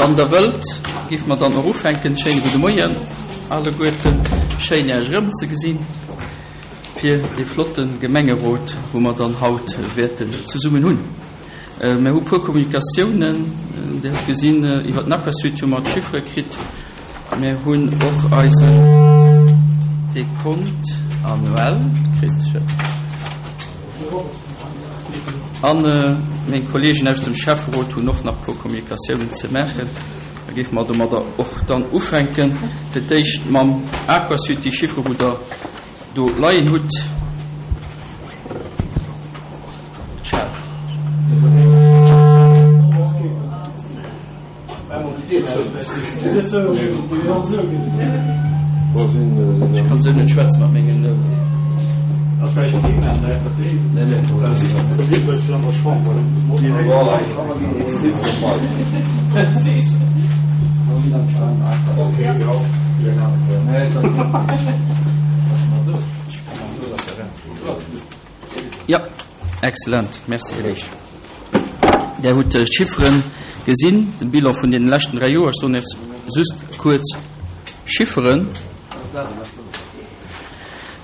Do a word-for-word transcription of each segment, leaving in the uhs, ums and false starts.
Wann Der wëllt, géife mer dann och ufänken. Schéine gudde Moien alleguerten. Schéin, Iech erëmzegesinn fir dee flotte Gemengerot, wou mer dann haut wäerten zesummen hunn. Mir hu puer Kommunikatiounen. Dir hutt gesinn, iwwer den Aquasud hu mer d'Chiffere kritt. Mir hunn och eisen Dekont annuel kritt. A meng Kolleegen aus dem Schäfferot hunn och nach e puer Kommunikatiounen ze maachen. Da géife mer domadder och dann ufänken. Fir d'éischt mam Aquasud, déi Chiffere wou Der do leien hutt. Et schellt. Ech kann esou net schwätzen mat mengen. Jo, excellent. Merci, Här Leesch. Där hutt d'Chiffere gesinn, de Bilan vun deene leschten dräi Joer. Ech soen Iech just kuerz Chifferen.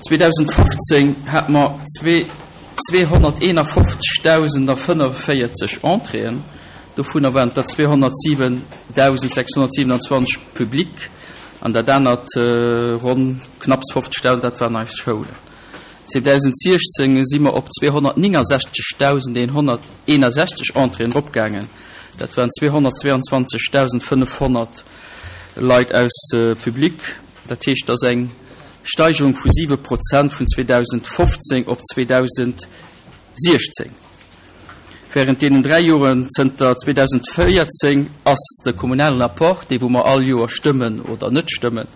zweedausendfofzéng hate mer zweehonnerteenafofzegdausendafënnefvéierzeg Entréeën, dovunner waren et der zweehonnertsiwendausendsechshonnertsiwenanzwanzeg public an dat anert ronn knapps fofzegdausend, dat waren eis Schoulen. zweedausendsechzéng si mer op zweehonnertnéngasechzegdausendeenhonnerteenasechzeg Entréeën eropgaangen, dat waren zweehonnertzweeanzwanzegdausendfënnefhonnert Leit aus public. Dat heescht, dat ass eng Steigerung vu siwe Prozent vun zweedausendfofzéng op zweedausendsiechzéng. Während deenen dräi Joren zënter zweedausendvéierzéng ass de kommunalen Apport, dee wou mer all Joer stëmmen oder net stëmmen,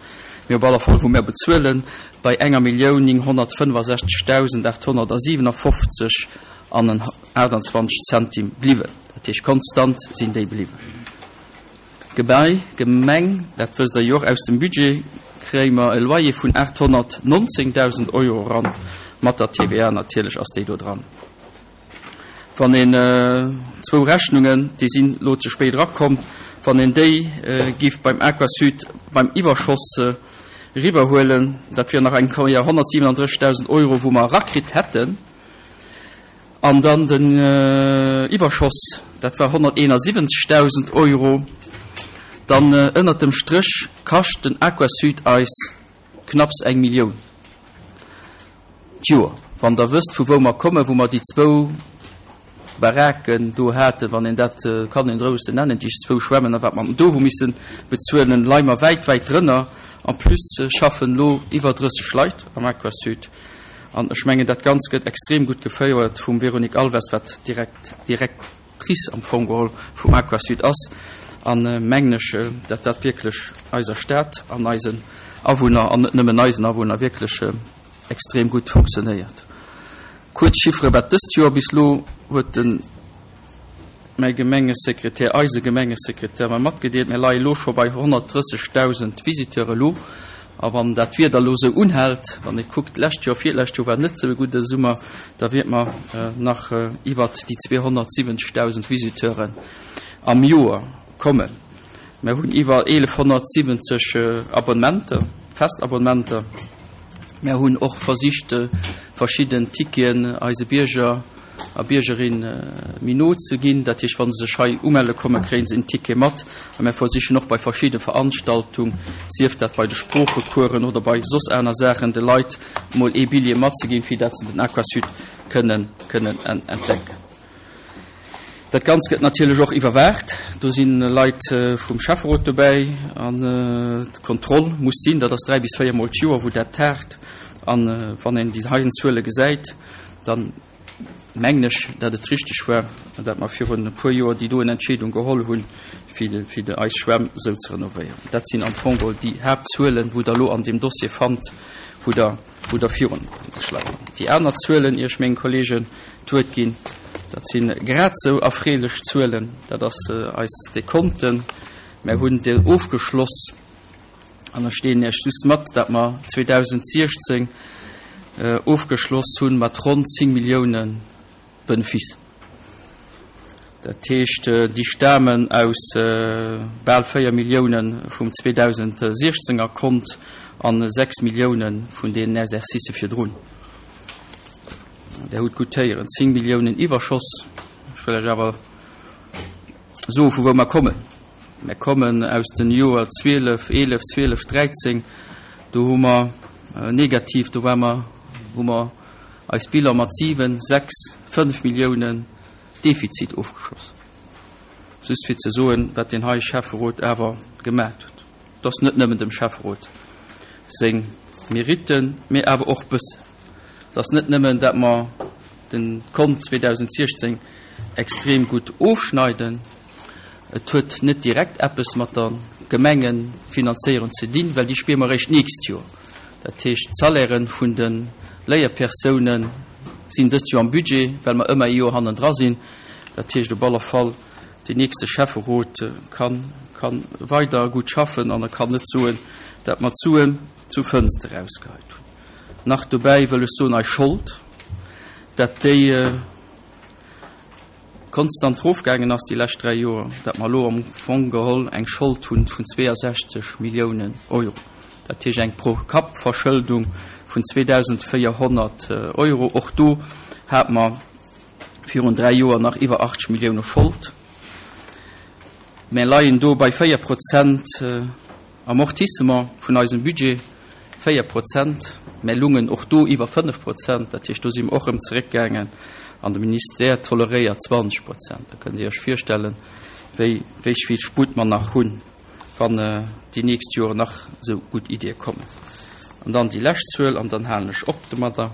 mee op alle Fall wou mer bezuelen, bei enger Millioun nénghonnertfënnefasechzegdausendachthonnertsiewenafofzeg an aachtanzwanzeg Centime bliwwen. Dat heescht, konstant sinn déi bliwwen. Gebai, Gemeng, dat wësst Der jo och aus dem Budget, kréie mer e Loyer vun aathonnertnonzéngdausend Euro eran, mat der T V A natierlech ass déi do dran. Wann een zwou Rechnungen, déi sinn elo ze spéit erakomm, wann een déi géif beim Aquasud beim Iwwerschoss eriwwerhuelen, dat wier nach eng Kéier honnertsiwenandrëssigdausend Euro, wou mer erakritt hätten. An dann den Iwwerschoss, dat war honnerteenasiwwenzegdausend Euro. Dann ënnert dem Stréch kascht den Aquasud eis knapps eng Millioun d'Joer. Wann Der wësst, vu wou mer kommen, wou mer déi zwou Baraken do haten, wann een dat kann een roueg esou nennen, déi zwou Schwämmen, a wat mer do hu misse bezuelen, leie mer wäit, wäit drënner. En plus schaffen elo iwwer drësseg Leit am Aquasud. An ech mengen, dat Ganzt gëtt extrem gutt geféiert vum Véronique Alves, wat direkt Directrice am Fong geholl vum Aquasud ass. An mengen ech, datt dat wierklech eiser Stad an eisen Awunner, an net nëmmen eisen Awunner, wierklech extrem gutt funktionéiert. Kuerz Chiffere wat dëst Joer bis elo huet de mäi Gemengesekretär, eise Gemengesekretär mer matgedeelt, mir leie elo scho bei honnertdrëssigdausend Visiteure elo. A wann dat Wieder elo esou unhält, wann ee kuckt, d'lescht Joer, virlescht Joer war net esou e gudde Summer, da wiert mer nach iwwert déi zweehonnertsiwwenzegdausend Visiteuren am Joer kommen. Mir hunn iwwer eelefhonnertsiwwenzeg Abonnementer, Festabonnementer. Mir hunn och versicht, verschidden Ticketen eise Bierger a Biergerin méi no ze ginn. Dat heescht, wa se sech hei umelle kommen, kréie se en Ticket mat. A mir versichen och bei verschidde Veranstaltung, sief dat bei de Sproochecoursen oder bei soss aner Saachen, de Leit mol ee Billet matzeginn, fir dat se den Aquasud kënnen, kënnen entdecken. Dat Ganzt gëtt natierlech och iwwerwaacht. Do si Leit vum Schäfferot dobäi an d'Kontroll muss sinn. Dat ass dräi bis véier Mol d'Joer, wou dat tagt. An wann een déi heien Zuele gesäit, dann mengen ech, datt et richteg war, datt mer virun e puer Joer déi doen Entscheedung geholl hunn, fir fir eis Schwämm esou ze renovéieren. Dat sinn am Fong geholl déi Haaptzuelen, wou Der elo an deem Dossier fannt, wou Der wou Der virun schleien. Déi aner Zuelen, ier ech menge Kollegen d'Wuert ginn, dat si grad esou erfreelech Zuelen. Dat ass eis Dekonten. Mir hunn déi ofgeschloss an ech deelen Iech just mat, datt mer zweedausendsechzéng ofgeschloss hunn mat ronn zéng Millioune Benefice. Dat heescht, déi stamen aus bal véier Millioune vum zweedausendsechzénger Kont a sechs Millioune vun deenen Exercicë virdrun. Der hutt gutt héieren, zéng Milliounen Iwwerschoss. Ech wëll lech awer soen, vu wou mer kommen. Mer kommen aus den Joer zwielef, eelef, zwielef, dräizéng. Do hu mer negativ, do war mer, hu mer eis Bilan mat siwen, sechs, fënnf Milliounen Defizit ofgeschloss. Just fir ze soen, wat deen hei Schäfferot awer gemat huet. Et ass net nëmmen dem Schäfferot seng Meritten, mee awer och bëssen. Et ass net nëmmen, dat mer den Kont zweedausentsiechzéng extrem gutt ofschneiden. Et huet net direkt eppes mat der Gemengefinanzéierung ze dinn, well déi spiere mer eréischt d'nächst Joer. Dat heescht, d'Salairen vun de Léierpersounen sinn dëst Joer am Budget, well mer ëmmer ee Joer hannendra sinn. Dat heescht op alle Fall, deen nächste Schäfferot kann, kann weider gutt schaffen an e kann net soen, dat mer d'Suen zu Fënster erausgeheit hunn. Nach dobäi wëll ech soen, eis Schold, dat déi konstant erofgaangen ass déi lescht dräi Joer, dat mer elo am Fong geholl eng Schold hunn vun zweeësechzeg Milliounen Euro. Dat heescht eng Pro-Kapp-Verschëldung vun zweedausendvéierhonnert Euro. Och do hate mer virun dräi Joer nach iwwer achtzeg Millioune Schold. Mer leien do bei véier Prozent Amortissement vun eisem Budget, véier Prozent. Mer lungen och do iwwer fënnef Prozent, dat heescht do si mer och erëm zeréckgaangen. An de Ministère toleréiert zwanzeg Prozent. Da kënnt Dir Iech virstellen, wéi, wéi vill Sputt mer nach hunn, wann déi nächst Joren nach esou gutt Iddie kommen. An dann déi lescht Zuel, an dann halen ech op domadder,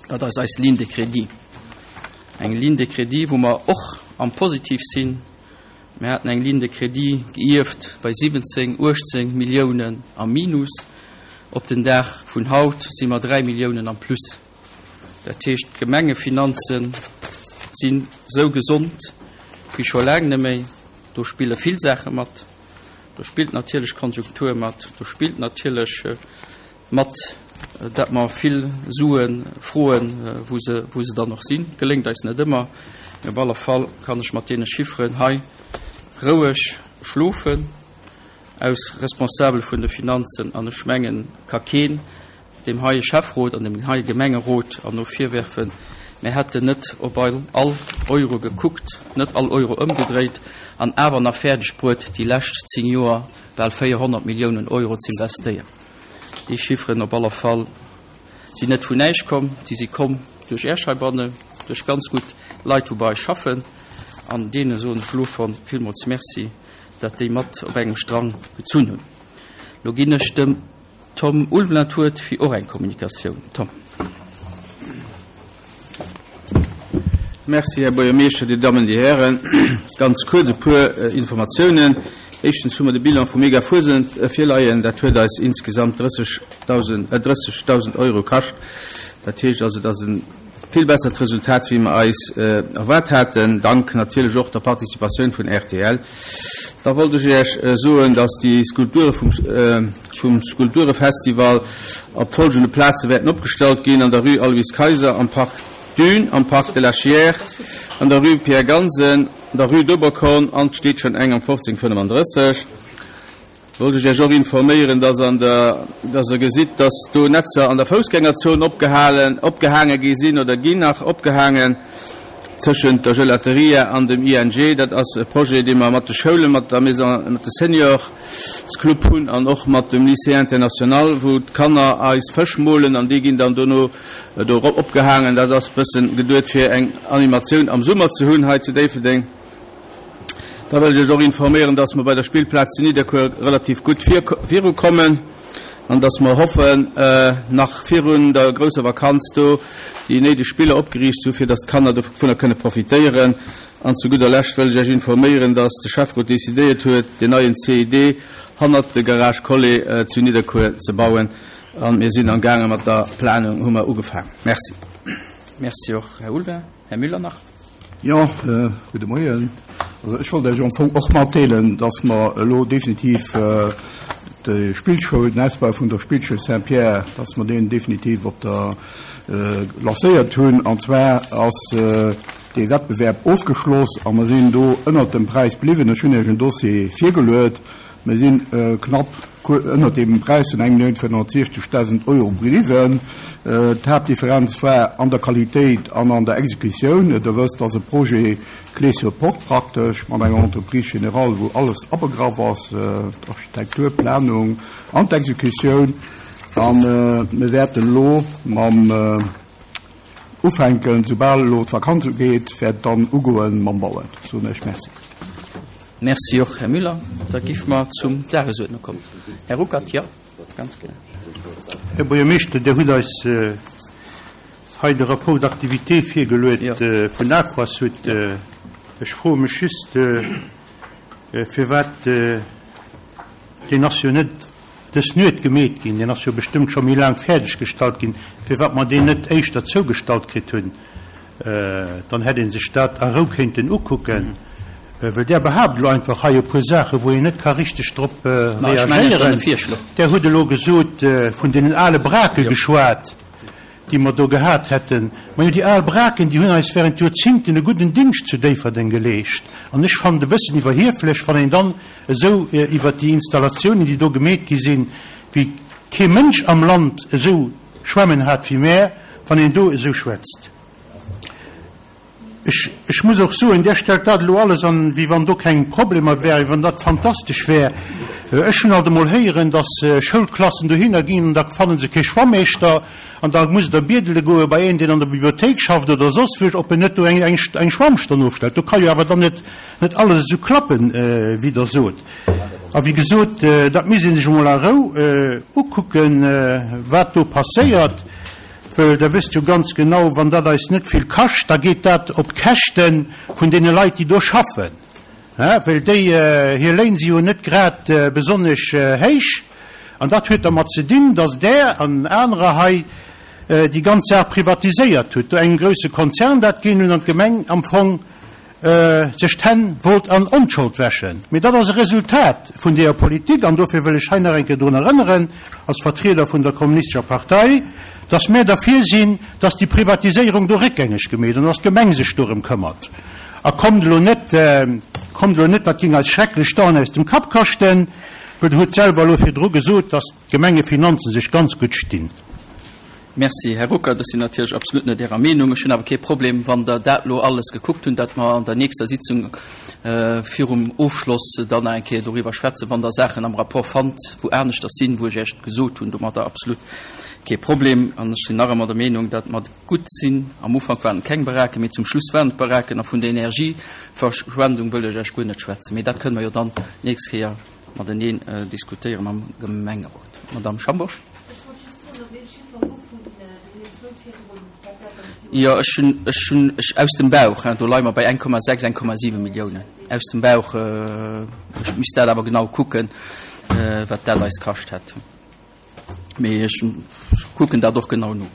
dat ass eis Ligne de crédit. Eng Ligne de crédit, wou mer och am Positiv sinn. Mir haten eng Ligne de crédit geierft bei siwwenzéng, uechtzéng Milliounen am Minus. Op den Dag vun haut si mer dräi Milliounen am Plus. Dat heescht, d'Gemengefinanze sinn esou gesond wéi scho laang net méi. Do spille vill Saache mat. Do spillt natierlech d'Konjunktur mat. Do spillt natierlech mat, dat mer vill Sue froen, wou se, wou se dann och sinn. Geléngt eis net ëmmer. Mee op alle Fall kann ech mat deene Chifferen hei roueg schlofen aus Responsabel vun de Finanzen. An ech mengen, ka keen deem heie Schäfferot an deem heie Gemengerot an no virwerfen, mir hätten net op all Euro gekuckt, net all Euro ëmgedréit an awer nach fäerdeg bruet, déi lescht zéng Joer bal véierhonnert Milliounen Euro z'investéieren. Déi Chifferen op aller Fall sinn net vun näischt komm, déi si komm duerch Äech heibannen, duerch ganz gutt Leit, wou bei eis schaffen. An deene soen ech elo scho villmools Merci, datt déi mat op engem Strang gezunn hunn. Elo ginn ech dem Tom Ulveling d'Wuert fir och eng Kommunikatioun. Tom. Merci, Här Buergermeeschter, Dir Dammen, Dir Hären. Ganz kuerz e puer Informatiounen. Éischtens hu mer de Bilan vum Mega Fuesent virleien. Dat huet eis insgesamt drëssigdausend Euro kascht. Dat heescht also, dat ass e vill bessert Resultat, wéi mer eis erwaart haten, dank natierlech och der Participatioun vun R T L. Da wollt ech Iech soen, dass déi Skulpture vum, vum Skulpturefestival op folgende Plaze wäerten opgestallt ginn: an der Rue Aloyse Kayser, am Parc Dune, am Parc de la Chière, an der Rue Pierre Gansen, an der Rue d'Oberkorn an et steet schonn eng am fofzéng fënnefandrësseg. Wollt ech Iech och informéieren, dass an der, dass Der gesitt, dass do Netzer an der Foussgängerzon opgehalen, opgehaange gi sinn oder ginn nach opgehaangen tëschent der Gelateria an dem I N G. Dat ass e Projet, dee mer mat de Schoulen, mat der Maison, mat de Seniors-Club hunn an och mat dem Lycée International, wou d'Kanner eis Fësch molen an déi ginn dann dono do opgehaangen. Dat ass e bëssen geduet, fir eng Animatioun am Summer ze hunn hei zu Déifferdeng. Da wëll ech Iech och informéieren, dass mer bei der Spillplaz zu Nidderkuer relativ gutt virukommen an dass mer hoffen, nach virun der grousser Vakanz do déi néideg Spiller opgeriicht zu, fir dass d'Kanner dovunner kënne profitéieren. An zu gudder Lescht wëll ech Iech informéieren, dass de Schäfferot decidéiert huet, den neien C I D hannert de Garage Collet zu Nidderkuer ze bauen. An mir sinn am gaange mat der Planung, hu mer ugefaangen. Merci. Merci och, Här Ulveling. Här Müller nach. Ja, äh, gudde Moien. Also ech wollt Iech am Fong och matdeelen, dass mer elo definitiv, äh, de Spillschoul, den Ausbau vun der Spillschoul Saint-Pierre, dass mer deen definitiv op der, äh, lancéiert hunn. An zwar ass, äh, dee Wettbewerb ofgeschloss a mer sinn do ënnert dem Präis bliwwen. Ech hunn Iech en Dossier virgeluet. Mer sinn knapp ënnert deem Präis vun eng Millioun véierhonnertsiechzegdausend Euro bliwwen. D'Haaptdifferenz war an der Qualitéit an an der Exekutioun. Der wësst, dass e Projet clé sur porte praktesch mat enger Entreprise générale, wou alles abegraff ass, d'Architektur, d'Planung an d'Exekutioun. A mir wäerten elo mam ufänken, soubal elo d'Vakanz ugeet, wäert dann ugoen mam Bauen. Soen ech Merci. Merci och, Här Müller. Da géife mer zum Dagesuerdnung kommen. Här Ruckert, jo, ganz genau. Här Buergermeeschter, Dir hutt eis hei de Rapport d'activité virgeluet vun Aquasud. Ech froe mech just, firwat deen ass jo net dës Nuet gemeet ginn, deen ass jo bestëmmt scho méi laang fäerdeggestallt ginn, firwat mer deen net éischter zougestallt kritt hunn, dann hätt ee sech dat a Rou kéinten ukucken. Well Der behaapt elo einfach hei e puer Saachen, wou een net ka richteg drop reagéieren. Der hutt elo gesot, vun deenen ale Brake geschwat, déi mer do gehat hätten. Majo, déi al Braken, déi hunn eis während Joerzingten e gudden Dingscht zu Déifferdeng geleescht. An ech fannen et e bëssen iwwerhieflech, wann een dann esou iwwert déi Installatiounen, déi do gemeet gi sinn, wéi kee Mënsch am Land esou Schwämmen hat wéi mär, wann een do esou schwätzt. Ech, ech muss och soen, Där stellt dat elo alles an, wéi wann do keng Problemer wären, wéi wann dat fantastesch wär. Ech hunn alt emol héieren, dass Schoulklassen dohinner ginn an da fanne se kee Schwammeeschter an da musst Der biedele goe bei een, deen an der Bibliothéik schafft oder soss wou, ob en net do eng, eng, eng Schwammstonn ofstellt. Do ka jo awer dann net, net alles esou klappen, wéi Der sot. A wéi gesot, dat misst ee sech emol a Rou ukucken, wat do passéiert. Well Der wësst jo ganz genau, wann dat eis net vill kascht, da geet dat op d'Käschte vun deene Leit, déi do schaffen, well déi, hir Léin si jo net grad besonnesch héich. An dat huet dermat ze dinn, dass Der an anerer hei déi ganz Saach privatiséiert hutt, do engem grouse Konzern dat ginn hunn an d'Gemeng am Fong sech d'Hänn wollt an Onschold wäschen. Mee dat ass e Resultat vun deeër Politik, an dofir wëll ech hei nach eng Kéier drun erënneren, als Vertrieder vun der Kommunistescher Partei, dass mär derfir sinn, dass déi Privatiséierung do réckgängeg gemeet an dass d'Gemeng sech dorëm këmmert. A kommt elo net, kommt elo net, dat géing eis schrecklech d'Aen aus dem Kapp kaschten, well Der hutt selwer elo virdru gesot, dass d'Gemengefinanze sech ganz gutt stinn. Merci, Här Ruckert. Ech sinn natierlech absolut net Ärer Meenung. Ech hunn awer kee Problem, wann Der dat elo alles gekuckt hunn, datt mer an der nächster Sitzung virum Ofschloss dann nach eng Kéier doriwwer schwätzen, wann Der Saachen am Rapport fannt, wou aneschters sinn, wou ech Iech gesot hunn. Domadder absolut kee Problem. An ech sinn nach ëmmer der Meenung, datt mer gutt sinn. Am Ufank waren et keng Baraken, mee zum Schluss waren et Baraken. A vun der Energieverschwendung wëll ech Iech guer net schwätzen. Mee dat kënne mer jo dann d'nächst Kéier mateneen diskutéieren am Gemengerot. Madamm Schambourg. Jo, ech hunn, ech hunn, ech aus dem Bauch, hein, do leie mer bei eng Komma sechs, eng Komma siwe Milliounen. Aus dem Bauch, ech misst dat awer genau kucken, wat dat eis kascht hätt. Mee ech kucken dat och genau no.